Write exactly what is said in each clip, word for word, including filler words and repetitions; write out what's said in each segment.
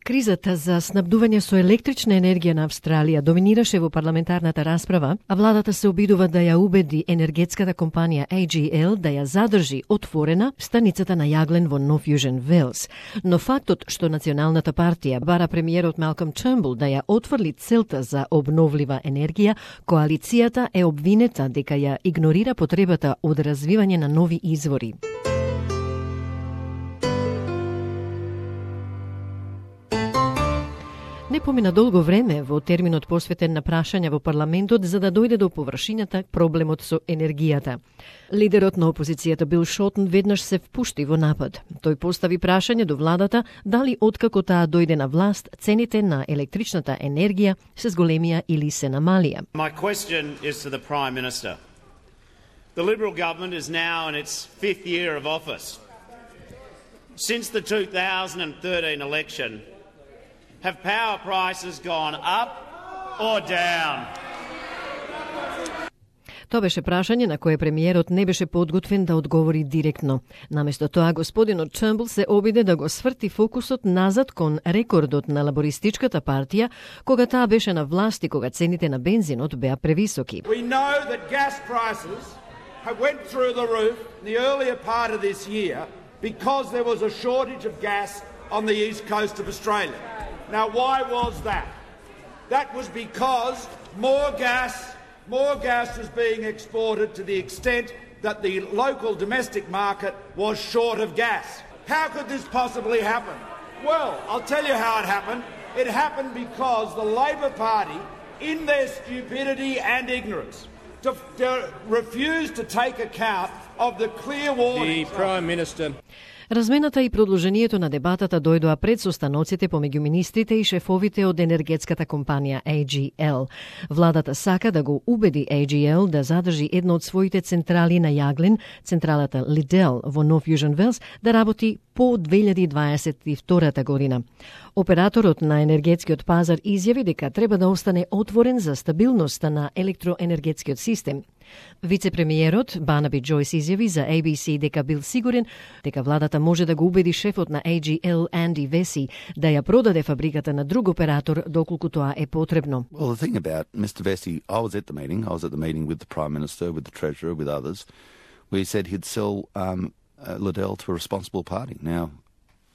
Кризата за снабдување со електрична енергија на Австралија доминираше во парламентарната расправа, а владата се обидува да ја убеди енергетската компанија А Джи Ел да ја задржи отворена станицата на јаглен во North Fusion Wells. Но фактот што Националната партија бара премиерот Малком Тернбул да ја отфрли целта за обновлива енергија, коалицијата е обвинета дека ја игнорира потребата од развивање на нови извори. Не помина долго време во терминот посветен на прашања во парламентот за да дојде до површината проблемот со енергијата. Лидерот на опозицијата Бил Шортон веднаш се впушти во напад. Тој постави прашање до владата дали откако таа дојде на власт цените на електричната енергија се зголемија или се намалија. My question is to the Prime Minister. The Liberal government is now in its fifth year of office. Since the two thousand thirteen election, have power prices gone up or down? Тоа беше прашање на кое премиерот не беше подготвен да одговори директно. Наместо тоа, господинот Тернбул се обиде да го сврти фокусот назад кон рекордот на лабористичката партија, кога таа беше на власт и кога цените на бензинот беа превисоки. We know that gas prices have went through the roof in the earlier part of this year because there was a shortage of gas on the east coast of Australia. Now, why was that? That was because more gas, more gas was being exported to the extent that the local domestic market was short of gas. How could this possibly happen? Well, I'll tell you how it happened. It happened because the Labor Party, in their stupidity and ignorance, to, to refused to take account of the clear warnings. The Prime Minister. Размената и продолжението на дебатата дојдоа пред состаноците помеѓу министрите и шефовите од енергетската компанија А Джи Ел. Владата сака да го убеди А Джи Ел да задржи една од своите централи на јаглен, централата Liddell во North Fusion Wells, да работи по две илјади дваесет и втора година. Операторот на енергетскиот пазар изјави дека треба да остане отворен за стабилноста на електроенергетскиот систем. Вице-премиерот Барнаби Джойс изјави за А Би Си дека бил сигурен дека владата може да го убеди шефот на А Джи Ел Анди Веси да ја продаде фабриката на друг оператор доколку тоа е потребно. Well, the thing about Mister Vesey, I was at the meeting. I was at the meeting with the Prime Minister, with the Treasurer, with others, where he said he'd sell um, uh, Liddell to a responsible party. Now,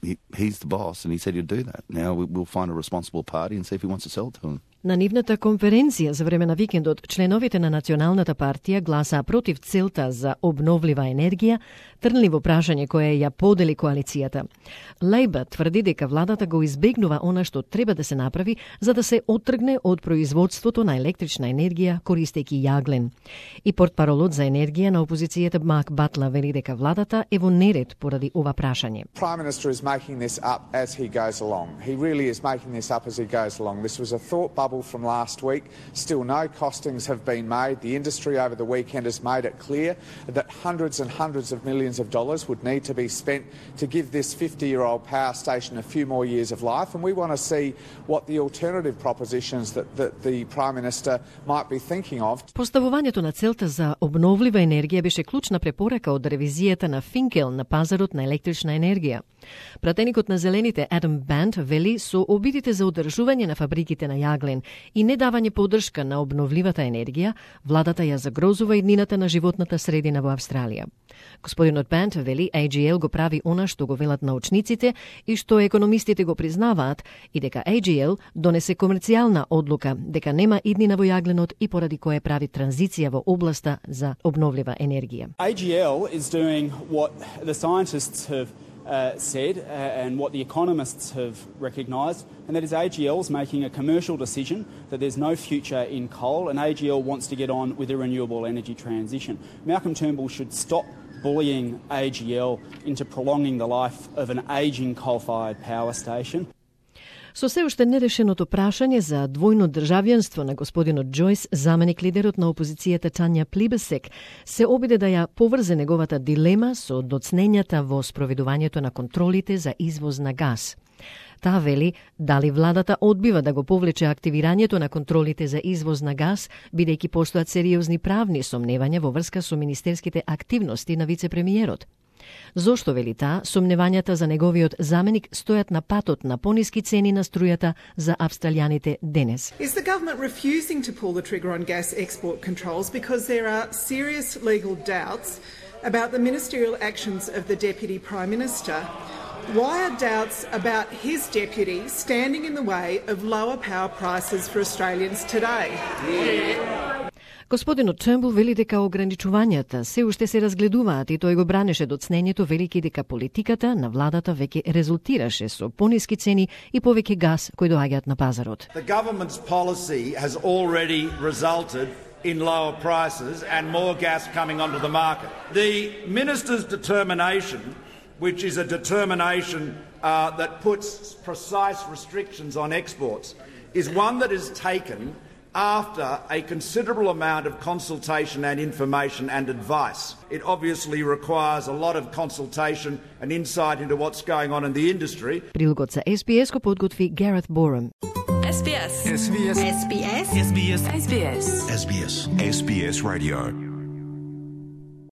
he, he's the boss, and he said he'd do that. Now we, we'll find a responsible party and see if he wants to sell it to him. На нивната конференција за време на викендот, членовите на Националната партија гласаа против целта за обновлива енергија, трнливо прашање кое ја подели коалицијата. Лейбар тврди дека владата го избегнува она што треба да се направи за да се оттргне од производството на електрична енергија користејќи јаглен. И портпаролот за енергија на опозицијата Марк Батлер вели дека владата е во неред поради ова прашање. Prime Minister is making this up as he goes along. He really is making this up as he goes along. This was a thought bubble from last week. Still no costings have been made. The industry over the weekend has made it clear that hundreds and hundreds of millions of dollars would need to be spent to give this fifty-year-old power station a few more years of life, and we want to see what the alternative propositions that, that the Prime Minister might be thinking of. Поставувањето на целта за обновлива енергија беше клучна препорака од ревизијата на Финкел на пазарот на електрична енергија. Пратеникот на Зелените Адам Бант вели со обидите за одржување на фабриките на јаглен и недавање поддршка на обновливата енергија, владата ја загрозува иднината на животната средина во Австралија. Господинот Бант вели А Джи Ел го прави она што го велат научниците и што економистите го признаваат и дека А Джи Ел донесе комерцијална одлука дека нема иднина во јагленот и поради кое прави транзиција во областа за обновлива енергија. А Джи Ел is doing what the scientists have Uh, said uh, and what the economists have recognised, and that is A G L's making a commercial decision that there's no future in coal, and A G L wants to get on with the renewable energy transition. Malcolm Turnbull should stop bullying A G L into prolonging the life of an ageing coal-fired power station. Со се уште нерешеното прашање за двојно државјанство на господинот Џојс, заменик лидерот на опозицијата Тања Плибесек се обиде да ја поврзе неговата дилема со доцнењата во спроведувањето на контролите за извоз на газ. Таа вели дали владата одбива да го повлече активирањето на контролите за извоз на газ, бидејќи постојат сериозни правни сомневања во врска со министерските активности на вице-премиерот. Зошто, вели таа, сомневањата за неговиот заменик стојат на патот на пониски цени на струјата за австралијаните денес? Is the government refusing to pull the trigger on gas export controls because there are serious legal doubts about the ministerial actions of the Deputy Prime Minister? Why are doubts about his deputy standing in the way of lower power prices for Australians today? Господинот Тurnbull вели дека ограничувањата се уште се разгледуваат и тој го бранеше доцнењето, велики дека политиката на владата веќе резултираше со пониски цени и повеќе газ кои доаѓаат на пазарот. The government's policy has already resulted in lower prices and more gas coming onto the market. The minister's determination, which is a determination uh, that puts precise restrictions on exports, is one that is taken after a considerable amount of consultation and information and advice. It obviously requires a lot of consultation and insight into what's going on in the industry. Прилогот за Ес Би Ес го подготви Гарет Борем. Ес Би Ес. Ес Би Ес. Ес Би Ес. Ес Би Ес. Ес Би Ес. Ес Би Ес. Ес Би Ес Radio.